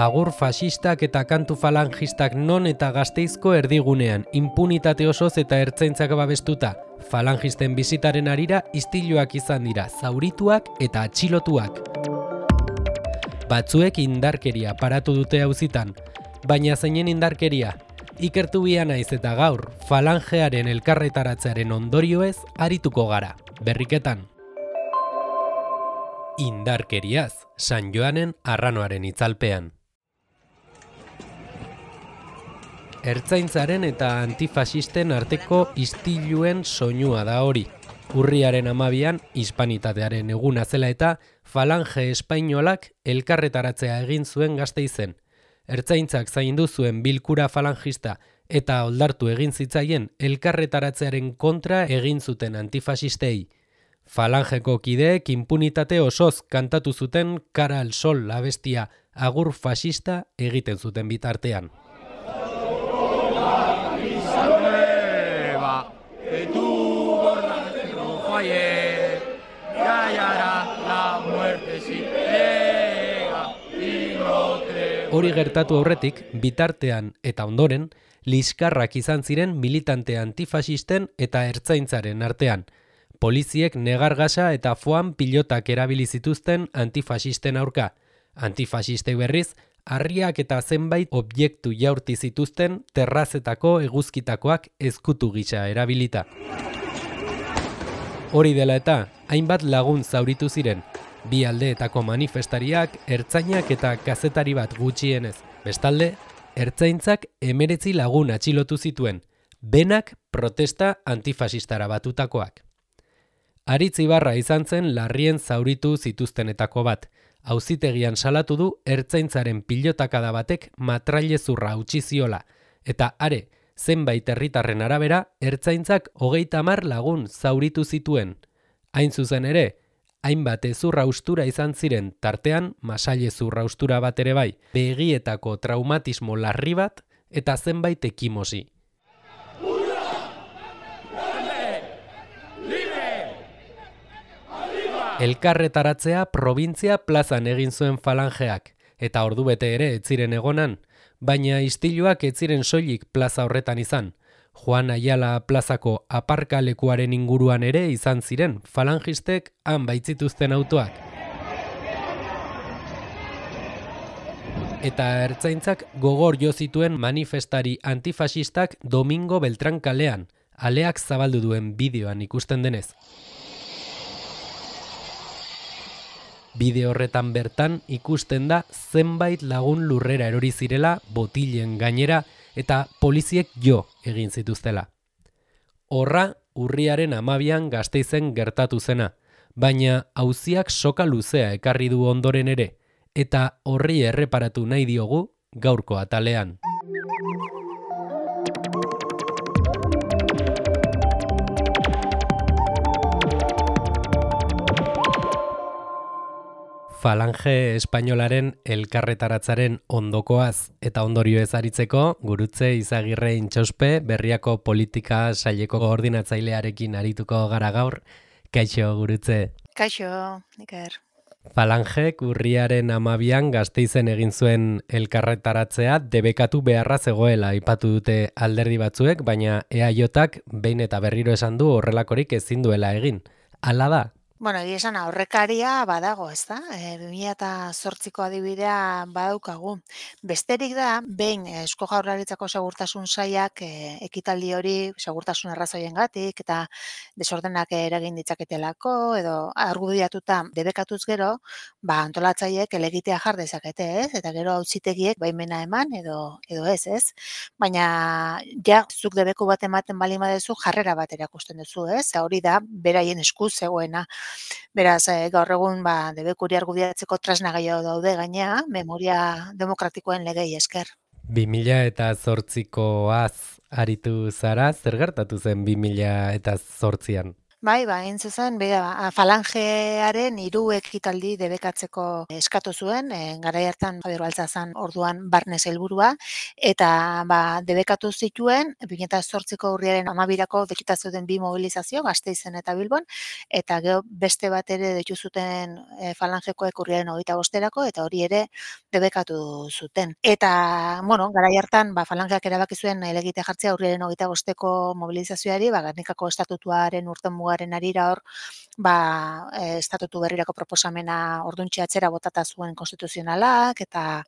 agur fasistak eta kantu falangistak non eta Gasteizko erdigunean, impunitate osoz eta ertzaintzak babestuta. Falangisten bizitaren harira istiluak izan dira, zaurituak eta atxilotuak. Batzuek indarkeria paratu dute auzitan, baina zeinen indarkeria? Ikertu bia naiz eta gaur, falangearen elkarretaratzearen ondorioez arituko gara, berriketan. Indarkeriaz, San Joanen arranoaren itzalpean. Ertzaintzaren eta antifasisten arteko istiluen soinua da hori. Urriaren 12an, hispanitatearen eguna zela eta falange espainolak elkarretaratzea egin zuen Gasteizen. Ertzaintzak zaindu zuen bilkura falangista eta oldartu egin zitzaien elkarretaratzearen kontra egin zuten antifasistei. Falangeko kideek impunitate osoz kantatu zuten Cara al Sol abestia agur fasista egiten zuten bitartean. Hori gertatu aurretik, bitartean eta ondoren, liskarrak izan ziren militante antifasisten eta ertzaintzaren artean. Poliziek negargasa eta foam pilotak erabili zituzten antifasisten aurka. Antifasistei berriz, harriak eta zenbait objektu jaurti zituzten terrazetako eguzkitakoak ezkutu gisa erabilita. Hori dela eta, hainbat lagun zauritu ziren, bi aldeetako manifestariak, ertzainak eta kazetari bat gutxienez. Bestalde, ertzaintzak 19 lagun atxilotu zituen, benak protesta antifasistara batutakoak. Aritz Ibarra izan zen larrien zauritu zituztenetako bat. Auzitegian salatu du ertzaintzaren pilotakada batek matrailezurra hautsi ziola. Eta are, zenbait herritarren arabera, ertzaintzak 30 lagun zauritu zituen. Hain zuzen ere, hainbat hezurra haustura izan ziren, tartean masailezurra haustura bat ere bai, begietako traumatismo larri bat eta zenbait ekimosi. Elkarretaratzea probintzia plazan egin zuen falangeak, eta ordubete ere ez ziren egonan, baina istiluak ez ziren soilik plaza horretan izan. Juan Ayala plazako aparkalekuaren inguruan ere izan ziren falangistek han baitzituzten autoak. Eta ertzaintzak gogor jo zituen manifestari antifasistak Domingo Beltran kalean, aleak zabaldu duen bideoan ikusten denez. Bideo horretan bertan ikusten da zenbait lagun lurrera erori zirela botilen gainera eta poliziek jo egin zituztela. Horra urriaren 12an Gasteizen gertatu zena, baina auziak soka luzea ekarri du ondoren ere, eta horri erreparatu nahi diogu gaurko atalean. Falange espainolaren elkarretaratzaren ondokoaz eta ondorioez aritzeko, Gurutze Izagirre Intxauspe Berriako politika saileko koordinatzailearekin arituko gara gaur. Kaixo, Gurutze. Kaixo, Iker. Falangek urriaren 12an Gasteizen egin zuen elkarretaratzea debekatu beharra zegoela aipatu dute alderdi batzuek, baina EAJak behin eta berriro esan du horrelakorik ezin duela egin. Hala da? Bueno, egia esan aurrekaria badago, ez da? 2008ko adibidea badaukagu. Besterik da, behin Eusko Jaurlaritzako Segurtasun Sailak ekitaldi hori segurtasun arrazoiengatik eta desordenak eragin ditzaketelako edo argudiatuta debekatuz gero, antolatzaileek helegitea jar dezakete, ez? Eta gero auzitegiek baimena eman edo ez? Baina ja zuk debeku bat ematen baldin baduzu jarrera bat erakusten duzu, ez? Hori da beraien esku zegoena. Beraz, gaur egun debekuri argudiatzeko tresna gehiago daude gainea, memoria demokratikoen legei esker. 2008koaz aritu zara, zer gertatu zen 2008an? Bai, hain zuzen, falangearen 3 ekitaldi debekatzeko eskatu zuen, garai hartan Javier Baltzazan orduan barne sailburua, eta debekatu zituen 2008ko urriaren 12rako dekita zeuden 2 mobilizazio, Gasteizen eta Bilbon, eta gero beste bat ere deitu zuten falangekoek urriaren 25erako, eta hori ere debekatu zuten. Eta, garai hartan falangeak erabaki zuen helegite jartzea urriaren 25eko mobilizazioari, Gernikako estatutuaren urtenmugaren harira hor, estatutu berrirako proposamena orduntxe atzera botata zuen konstituzionalak, eta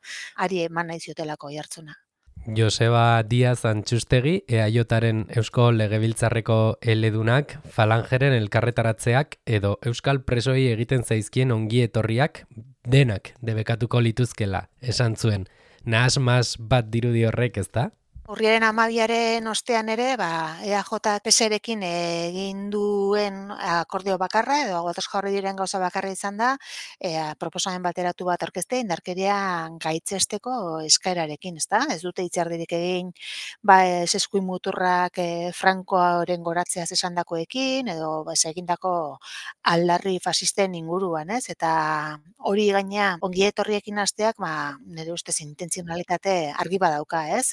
ari eman nahi ziotelako oihartzuna. Joseba Díaz Antxustegi, EAJaren Eusko Legebiltzarreko eledunak, falangeren elkarretaratzeak edo euskal presoi egiten zaizkien ongi etorriak denak debekatuko lituzkela, esan zuen. Nahasmas bat dirudi horrek, ezta? Urriaren 12aren ostean ere, EAJ PSrekin egin duen akordio bakarra, edo ados jarri diren gauza bakarra izan da, proposamen bateratu bat aurkeztea indarkeria gaitzesteko eskaerarekin, ezta? Ez dute hitzardirik egin, eskuin muturrak Francoaren goratzeaz esandakoekin, edo egindako aldarri fasisten inguruan, ez? Eta hori gaina ongi etorriekin hasteak, nire ustez intentzionalitate argi badauka, ez?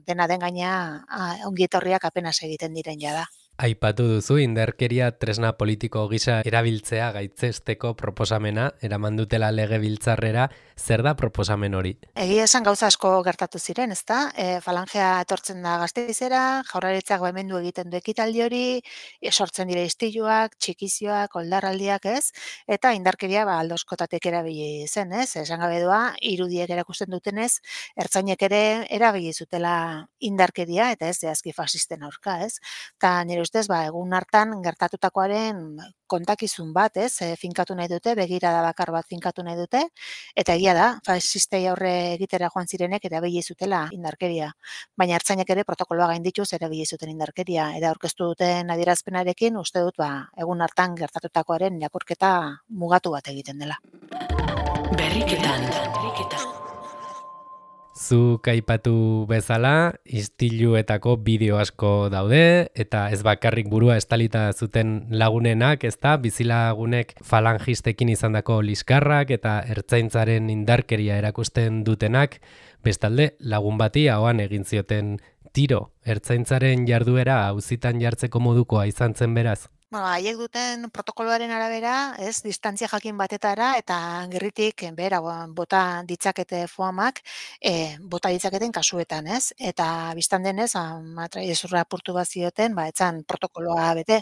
Dena den gaina ongi etorriak apenas egiten diren jada. Aipatu duzu indarkeria tresna politiko gisa erabiltzea gaitzesteko proposamena, eraman dutela legebiltzarrera, zer da proposamen hori? Egia esan gauza asko gertatu ziren, ezta? Falangea etortzen da Gasteizera, Jaurlaritzak baimendu egiten du ekitaldi hori, sortzen dira istiluak, txikizioak, oldarraldiak, ez? Eta indarkeria aldoskotatek erabili zen, ez? Esan gabe doa, irudiek erakusten dutenez, ertzainek ere erabili zutela indarkeria, eta ez zehazki fasisten aurka, ez? Eta nire ustez, egun hartan gertatutakoaren kontakizun bat, ez? Finkatu nahi dute, begirada bakar bat finkatu nahi dute, eta egia da, fasistei aurre egitera joan zirenek erabili zutela indarkeria. Baina ertzainek ere protokoloa gaindituz erabili zuten indarkeria. Eta aurkeztu duten adierazpenarekin, uste dut, egun hartan gertatutakoaren irakurketa mugatu bat egiten dela. Berriketan. Zuk aipatu bezala, istiluetako bideo asko daude, eta ez bakarrik burua estalita zuten lagunenak, ezta, bizilagunek falangistekin izandako liskarrak eta ertzaintzaren indarkeria erakusten dutenak, bestalde lagun bati ahoan egin zioten tiro, ertzaintzaren jarduera auzitan jartzeko modukoa izan zen beraz. Haiek duten protokoloaren arabera, ez, distantzia jakin batetara eta gerritik behera bota ditzakete foamak, bota ditzaketen kasuetan, ez? Eta biztan denez, matrailezurra apurtu bat zioten, etzan protokoloa bete.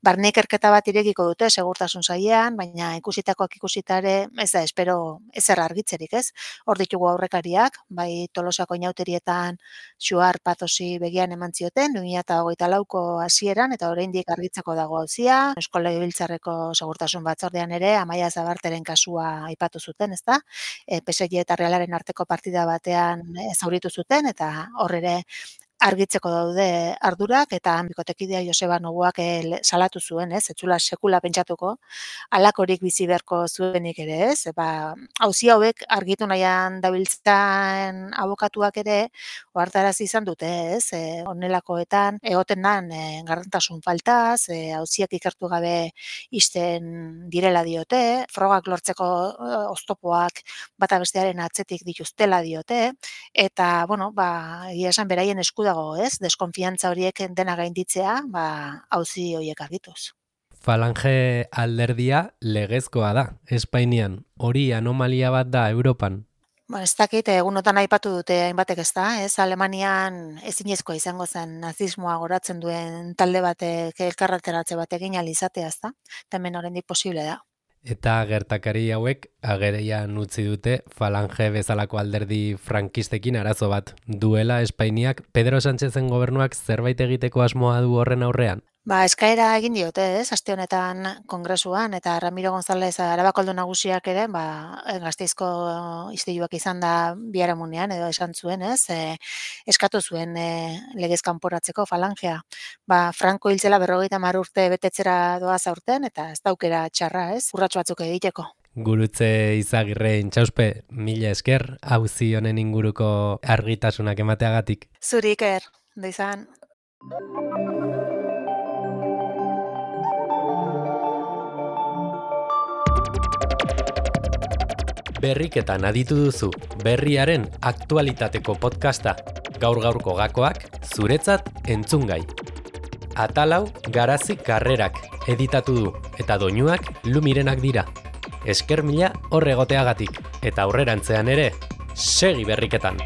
Barne ikerketa bat irekiko dute segurtasun sailean, baina ikusitakoak ikusitare, ez da, espero ezer argitzerik, ez? Hor ditugu aurrekariak, bai Tolosako inauterietan Xuar Patosi begian eman zioten, 2024ko hasieran, eta oraindik argitzeko dago Eusko Legebiltzarreko segurtasun batzordean ere Amaia Zabarteren kasua aipatu zuten, ezta? PSG eta Realaren arteko partida batean zauritu zuten, eta hor ere argitzeko daude ardurak, eta bikotekidea Joseba Noguak salatu zuen, ez? Etzula sekula pentsatuko, halakorik bizi beharko zuenik ere, ez? Auzi hauek argitu nahian dabiltzan abokatuak ere, ohartarazi izan dute, ez? Honelakoetan egoten dan garrantasun faltaz, auziak ikertu gabe isten direla diote, frogak lortzeko oztopoak bata bestearen atzetik dituztela diote, eta, egia esan beraien esku dago, ez? Deskonfiantza horiek dena gainditzea, auzi horiek argituz. Falange alderdia legezkoa da, Espainian. Hori anomalia bat da Europan. Ez dakit, egunotan aipatu dute hainbatek, ez da, ez? Alemanian ezinezkoa izango zen nazismoa goratzen duen talde batek elkarreteratze batekin alizatea, ez da? Hemen oraindik posible da. Eta gertakari hauek agerian utzi dute Falange bezalako alderdi frankistekin arazo bat duela Espainiak. Pedro Sánchezen gobernuak zerbait egiteko asmoa du horren aurrean? Eskaera egin diote, ez, aste honetan kongresuan, eta Ramiro González Arabakoldo nagusiak ere, Gasteizko istiluak izan da biharamunean, edo esan zuen, ez, eskatu zuen legez kanporatzeko Falangea. Franco hiltzela 50 urte betetzera doaz aurten, eta ez daukera txarra, ez, urratxo batzuk egiteko. Gurutze Izagirre Intxauspe, mila esker, auzi honen inguruko argitasunak emateagatik. Zuri Iker, da izan. Berriketan aditu duzu berriaren aktualitateko podcasta. Gaur-gaurko gakoak zuretzat entzungai. Atalau Garazi Karrerak editatu du eta doinuak Lumirenak dira. Esker mila hor egoteagatik eta aurrerantzean ere segi berriketan.